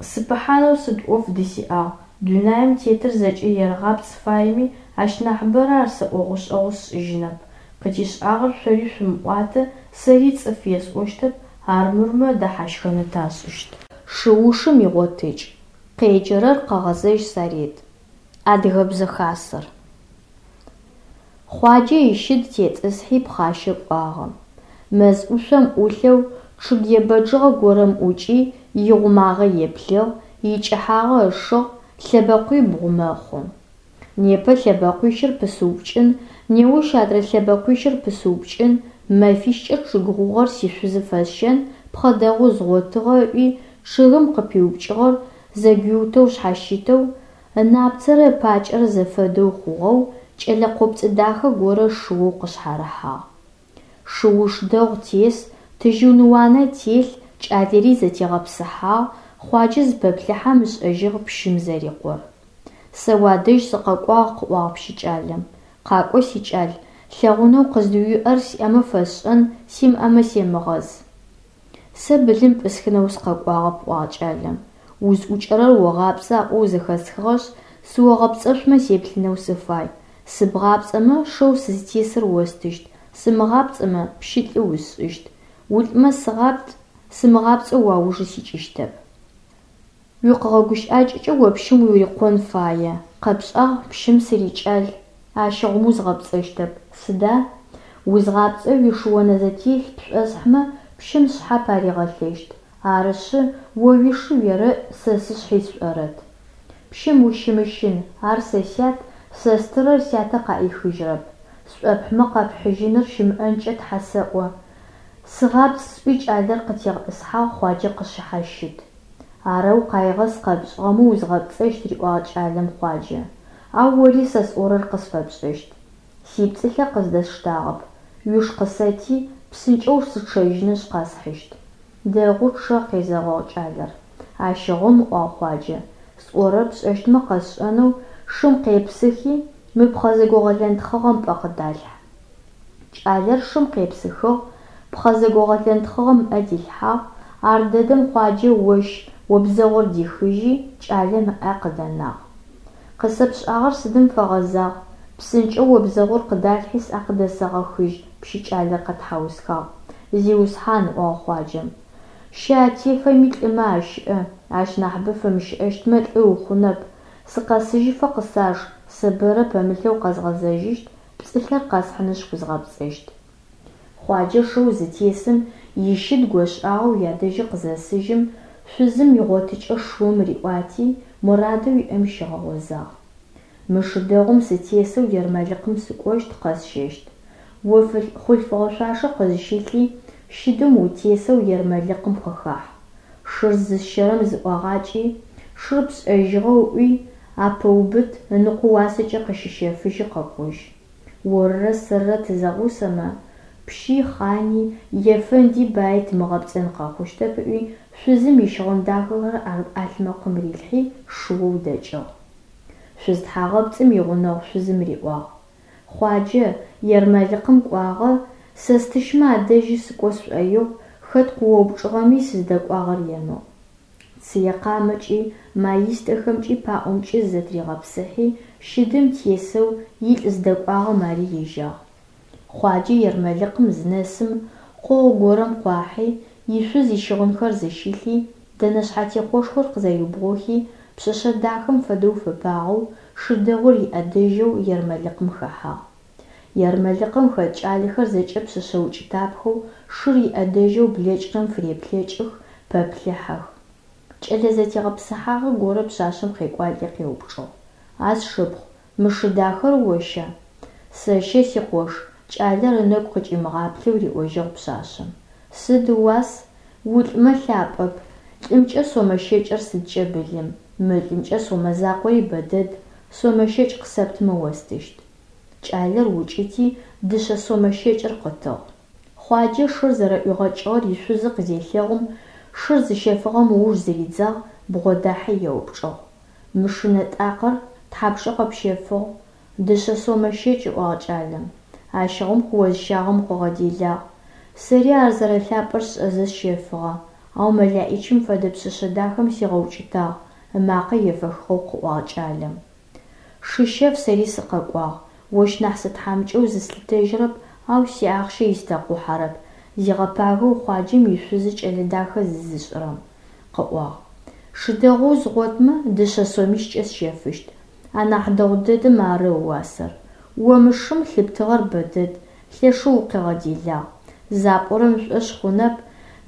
сыпыхьанэу сыд ӏоф дысиӏагъ, дунаим тетыр зэкӏэ ерэгъапцӏ фаеми, ащ нахьыбэрэ ар сэ ӏогъушӏэгъу сшӏыжьынэп. Къытишӏагъэр шъори шъумыӏуатэ, сэри цӏыф есӏощтэп, армырмэ дэхьащхэны ташӏыщт. Шыушым игъотыкӏ. Къеджэрэр Къэгъэзэжь Сарет. Адыгэбзэ хасэр. Хъуаджэ ищыд тетӏысхьи пхъащэ кӏуагъэ. Мэз ӏушъом ӏулъэу чъыг ебэджыгъэ горэм ӏукӏи, игъумагъэ еплъыгъ, икӏыхьагъэ ышыгъ, лъэбэкъуибгъу мэхъу. Непэ лъэбэкъуищыр пысыупкӏын, неущ адрэ лъэбэкъуищыр пысыупкӏын, мэфищкӏэ чъыг гъугъэр сишъузы фэсщэн, пхъэ дэгъу згъотыгъэ ыӏуи, чъыгым къыпиупкӏыгъэр зэгуиутэу шъхьащытэу, ынапцэрэ ыпакӏэрэ зэфэдэу хъугъэу, кӏэлэ къопцӏэ дахэ горэ шыоу къышъхьарыхьагъ. Шыуш дэгъу тес, тыжьын уанэ телъ, кӏалэри зэтегъэпсыхьагъ, Хъуаджэ зыпэплъыхьэм ышӏэжьыгъ пщым зэрикъор. Сэ уадэжь сыкъэкӏуагъ, къыӏуагъ пщыкӏалэм. Къакӏо, сикӏал, лъэгъунэу къыздыуиӏэр сиӏэмэ фэсшӏэн, симыӏэмэ семыгъэз. Сэ былым пӏысхынэу сыкъэкӏуагъэп, ыӏуагъ кӏалэм. Узӏукӏэрэр огъапцӏэ аӏоу зэхэсхыгъэшъ, сыогъэпцӏэшъумэ сеплъынэу сыфай. Сыбгъапцӏэмэ, шэу сызтесыр остыщт, сымыгъапцӏэмэ, пщылӏы усшӏыщт. Улӏмэ сыгъапцӏ, сымыгъапцӏэу уаужы сикӏыщтэп. Уикъэгъэгущыӏакӏэкӏэ о пщым урикъон фае. Къэпшӏагъ, пщым сырикӏал. Ащыгъум узгъэпцӏэщтэп. Сыда? Узгъапцӏэу уишыонэзэтелъ пшӏосхьымэ, пщым сшъхьэ паригъэлъыщт. Арышъы, о уишы уерэӏ, сэ сшъхьи сшӏорэт. Пщым ущымыщын, ар сэ сят, сэ стырэр сятэ къаӏихыжьырэп. Сшӏопхьымэ къэпхьыжьыныр щымыӏэнкӏэ тхьэ сэӏо. Сыгъапцӏ сӏуи кӏалэр къытегъэтӏысхьагъ Хъуаджэ къысшъхьащыт. Арэу къаигъэ сыкъэпшӏыгъэмэ узгъэпцӏэщт, риӏуагъ кӏалэм Хъуаджэ. Ау ори сэ сӏорэр къысфэпшӏэщт. Сипцӏылъэ къыздэсштагъэп. Уиш къысэти, псынкӏэу сычъэжьынышъ къэсхьыщт. Дэгъу, чъэ, къезэгъыгъ кӏалэр. Ащыгъум, ыӏуагъ Хъуаджэ, сӏорэр пшӏэщтмэ къэсшӏэнэу шым къепсыхи, мы пхъэ зэгогъэлэнтхъыгъэм пӏэ къыдалъхь. Кӏалэр шым къепсыхыгъ, пхъэ зэгогъэлэнтхъыгъэм ыӏэ дилъхьагъ, ардэдэм Хъуаджэ ощ обзэгъур дихыжьи, кӏалэм ыӏэ къыдэнагъ. Къысэпшӏагъэр сыдым фэгъэзагъ? Псынкӏэу обзэгъур къыдалъхьи сӏэ къыдэсэгъэхыжь, пщыкӏалэр къэтхьаусхагъ. Зиусхьан, ыӏуагъ Хъуаджэм, щэ атефэми лӏымэ ащыӏэ, ащ нахьыбэ фэмыщыӏэщтмэ лӏы ухъунэп, сыкъэсыжьыфэ къысаж, сэ бэрэ пэмылъэу къэзгъэзэжьыщт, пцӏылъэр къэсхьынышъ узгъэпцӏэщт. Хъуаджэ шэу зытесым ищыд гошӏагъэу ядэжьы къызэсыжьым, шъузым игъотыкӏэ шыум риӏуати, морадэу иӏэм щигъэгъозагъ. Мы шы дэгъум сытесэу ермэлыкъым сыкӏощт, къэсщэщт. О хъулъфыгъэ шъуашэ къызщылъи, щыдым утесэу ермэлыкъым къыхахь. Шыр зысщэрэм зыӏуагъакӏи, шыр пшӏэжьыгъэу ыӏуи, апэубыт, ыныкъо уасэкӏэ къыщыщэфыжьи къэкӏожь. Орырэ сэрырэ тызэгъусэмэ, пщи, хъани, ефэнди баи тымыгъэпцӏэн къэхъущтэп ыӏуи, шъузым ищыгъын дахэхэр ӏалъмэкъым рилъхьи, шыоу дэкӏыгъ. Шъуз тхьагъэпцӏым игъунэгъу шъузым риӏуагъ: Хъуаджэ, ермэлыкъым кӏуагъэ, сэ стыщмэ адэжьы сыкӏо сшӏоигъу, хэт къыоупчӏыгъэми сыздэкӏуагъэр емыӏу. Цые къамэкӏи, маистэхэмкӏи паӏомкӏи зызэтыригъэпсыхьи, щыдым тесэу илӏ зыдэкӏуагъэм ари ежьагъ. Хъуаджэ ермэлыкъым зынэсым, къогъу горэм къуахьи, ишъуз ищыгъынхэр зыщилъи, дэнэ шъхьэтехъошхор къызэриубгъохи, пшъэшъэ дахэм фэдэу фэпагъэу, шы дэгъур иӏэдэжьэу ермэлыкъым хэхьагъ. Ермэлыкъым хэт кӏалэхэр зэкӏэ пшъэшъэ укӏытапхэу, шыр иӏэдэжьэу блэкӏырэм фыреплъэкӏых, пэплъыхьэх. Кӏэлэ зэтегъэпсыхьагъэ горэ пшъашъэм къекӏуалӏи къеупчӏыгъ: А сшыпхъу, мы шы дахэр оща? Сэщэ, сикъош, кӏалэр ынэгу къыкӏимыгъаплъэу риӏожьыгъ пшъашъэм. Сыд ыуас? Улӏмэ лъапӏэп. Лӏымкӏэ сомэ щэкӏыр сыдкӏэ былым, мылӏымкӏэ сомэ закъори бэдэд, сомэ щэкӏ къысэптымэ остыщт. Кӏалэр укӏыти, дышъэ сомэ щэкӏыр къытыгъ. Хъуаджэ шыр зэрэӏуигъэкӏыгъэр ишъузы къызелъэгъум, шыр зыщэфыгъэм ыуж зыридзагъ, бгъодахьи еупчӏыгъ. Мы шы нэтӏакъэр тхьапшэу къэпщэфыгъ? Дышъэ сомэ щэкӏ, ыӏуагъ кӏалэм. Ащыгъум къыозыщагъэм укъыгъэделагъ. Сэри ар зэрэлъапӏэр сшӏэзэ сщэфыгъэ, ау мэлаӏичым фэдэ пшъэшъэ дахэм сигъэукӏытагъ, ымакъэ ефэхыгъэу къыӏуагъ кӏалэм. Шыщэф сэри сыкъэкӏуагъ, ощ нахь сытхьамыкӏэу зыслъытэжьырэп, ау сиахъщэ истэкъухьэрэп, зигъэпагэу Хъуаджэм ишъузы кӏэлэ дахэ зызышӏырэм, къыӏуагъ. Шы дэгъоу згъотмэ, дышъэ сомищкӏэ сщэфыщт. Анахь дэгъу дэдэм ары ыуасэр. О мы шым лъыптыгъэр бэдэд, лъэшэу укъигъэделагъ. Запӏорэм ышӏошъ хъунэп,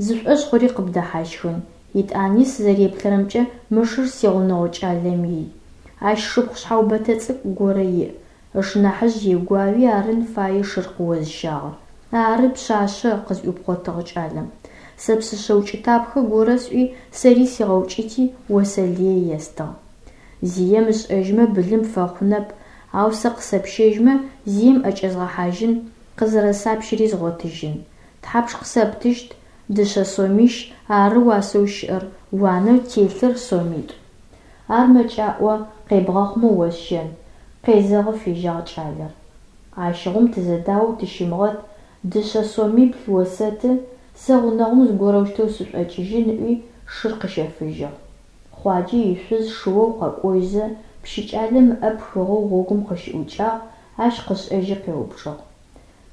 зышӏошъ хъури къыбдэхьащхын. Етӏани сызэреплъырэмкӏэ мы шыр сигъунэгъу кӏалэм ий. Ащ шыпхъу шъхьэубэтэ цӏыкӏу горэ иӏ. Ышнахьыжъ егуауи арын фае шыр къыозыщагъэр. Ары, пшъашъэ, къызӏуипхъотыгъ кӏалэм. Сэ пшъэшъэ укӏытапхэ горэ сӏуи, сэри сигъэукӏыти, осэ лые естыгъ. Зием ышӏэжьмэ былым пфэхъунэп, ау сэ къысэпщэжьмэ, зием ӏэкӏэзгъэхьажьын, къызэрэсапщыри згъотыжьын. Тхьапш къысэптыщт? Дышъэ сомищ, ары уасэу щыӏэр, уанэу телъыр сомитӏу. Ар мэкӏаӏо, къебгъэхъумэ осщэн, къезэгъы фежьагъ кӏалэр. Ащыгъум тызэдаоу тыщымыгъэт, дышъэ сомибл осэты, сэ гъунэгъум зыгорэущтэу сышӏокӏыжьын ыӏуи, шыр къыщэфыжьыгъ. Хъуаджэ ишъуз шыоу къэкӏожьзэ, пщы кӏалэм ыӏэ пхыгъэу гъогум къыщыӏукӏагъ, ащ къышӏэжьи къеупчӏыгъ.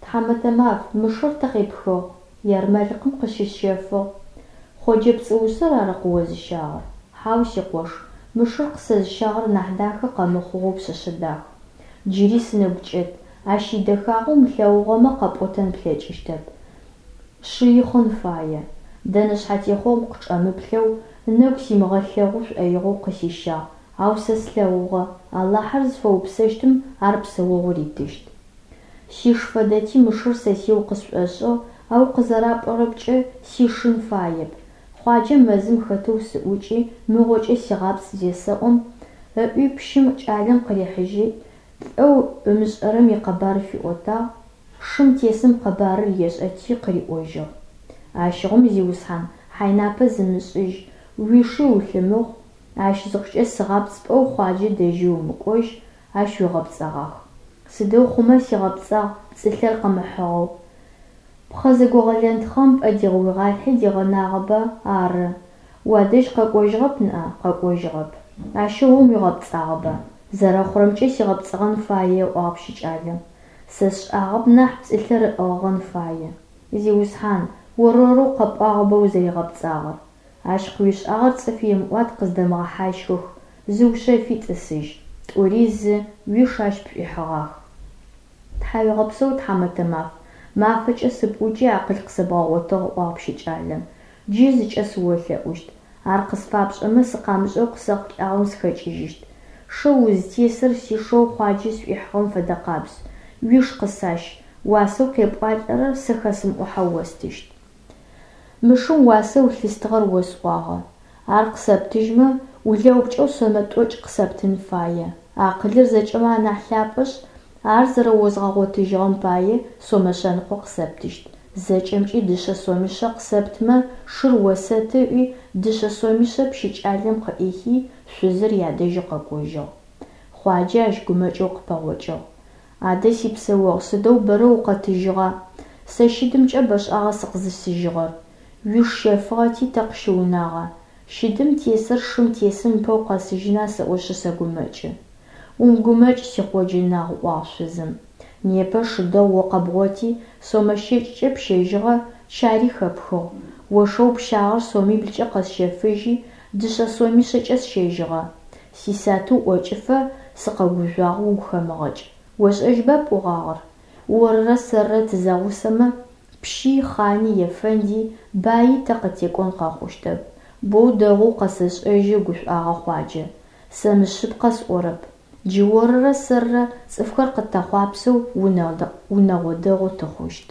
Тхьамэтэ маф, мы шыр тэ къепхыгъ? Ермэлыкъым къыщысщэфыгъ. Хъоджэ пцӏыусыр ара къыозыщагъэр? Хьау, сикъош, мы шыр къысэзыщагъэр нахь дахэ къэмыхъугъэу пшъэшъэ дах. Джыри сынэгу кӏэт, ащ идэхагъэ умылъэгъугъэмэ къэпӏотэн плъэкӏыщтэп. Шыихъын фае. Дэнэ шъхьэтехъом къычӏэмыплъэу, ынэгу симыгъэлъэгъу шӏоигъоу къысищагъ, ау сэ слъэгъугъэ, Алахьыр зыфэупсэщтым ар псэогъу ритыщт. Сиш фэдэти мы шыр сэсиеу къысшӏошӏыгъ, ау къызэрапӏорэмкӏэ сишын фаеп. Хъуаджэм мэзым хэтэу сыӏукӏи, мыгъокӏэ сигъапцӏ зесэӏом, ыӏуи пщым кӏалэм къырихьыжьи, лӏэу ымышӏэрэм икъэбар фиӏотагъ, шым тесым къэбарыр ешӏэти къыриӏожьыгъ. Ащыгъум, зиусхьан, хьайнапэ зымышӏыжь, уиши улъымыхъу, ащ зыхъукӏэ сыгъапцӏ пӏоу Хъуаджэ дэжьи умыкӏожь, ащ уигъэпцӏэгъах. Сыдэу хъумэ сигъэпцӏагъ пцӏылъэр къымыхьыгъэу. Пхъэ зэгогъэлэнтхъэм пӏэ дигъэуигъалъхьи дигъэнагъэба, ары. Уадэжь къэкӏожьыгъэп ныӏа? Къэкӏожьыгъэп. Ащыгъум уигъэпцӏагъэба? Зэрэхъурэмкӏэ сигъэпцӏэгъэн фае, ыӏуагъ пщыкӏалэм. Сэ сшӏагъэп нахь пцӏылъэр ыӏыгъыгъэн фае. Зиусхьан, орорэу къэпӏуагъэба узэригъэпцӏагъэр. Ащ къыуишӏагъэр цӏыф емыӏуат къыздэмыгъэхьащхых, зыушъэфи тӏысыжь. Тӏури зы, уиш ащ пшӏуихьыгъах. Тхьауегъэпсэу, тхьамэтэ маф, мафэкӏэ сыпӏукӏи акъыл къысэбгъэгъотыгъ, ыӏуагъ пщыкӏалэм. Джы зыкӏэ сыолъэӏущт. Ар къысфапшӏэмэ, сыкъамышӏэу къысэхъулӏагъэм сыхэкӏыжьыщт. Шэу узтесыр сишэу Хъуаджэ сшӏуихьыгъэм фэдэкъабз. Уиш къысащ, уасэу къепӏуалӏэрэр сэ хэсымыӏухьэу остыщт. Мы шым уасэу лъыстыгъэр осӏуагъэ. Ар къысэптыжьмэ, улэупкӏэу сомэ тӏокӏ къысэптын фае. Акъылыр зэкӏэмэ анахь лъапӏэшъ, ар зэрэозгъэгъотыжьыгъэм пае сомэ шъэныкъо къысэптыщт. Зэкӏэмкӏи дышъэ сомишъэ къысэптымэ, шыр осэты ыӏуи, дышъэ сомишъэ пщы кӏалэм къыӏихи, шъузыр ядэжьы къэкӏожьыгъ. Хъуаджэ ащ гумэкӏэу къыпэгъокӏыгъ. Адэ сипсэогъу, сыдэу бэрэ укъэтыжьыгъа? Сэ щыдымкӏэ бэшӏагъэ сыкъызысыжьыгъэр. Уиш щэфыгъэти тэ къыщыунагъа? Щыдым тесыр шым тесым ыпэу къэсыжьына сэӏошъы сэгумэкӏы. Умыгумэкӏ, си Хъоджэ нагъ, ыӏуагъ шъузым. Непэ шы дэгъу о къэбгъоти, сомэ щэкӏкӏэ пщэжьыгъэ, чари хэпхыгъ. О шэу пщагъэр сомиблкӏэ къэсщэфыжьи, дышъэ сомишъэкӏэ сщэжьыгъэ. Сисатыу ӏокӏыфэ сыкъэгужъуагъ, угу хэмыгъэкӏ. Ошӏэжьба пӏогъагъэр? Орырэ сэрырэ тызэгъусэмэ, пщи, хъани, ефэнди, баи тэ къытекӏон къэхъущтэп. Боу дэгъоу къэсэшӏэжьы, гушӏуагъэ Хъуаджэ. Сэ мышъыпкъэ сӏорэп. Джы орырэ сэрырэ цӏыфхэр къытэхъуапсэу унэгъо дэгъу тыхъущт.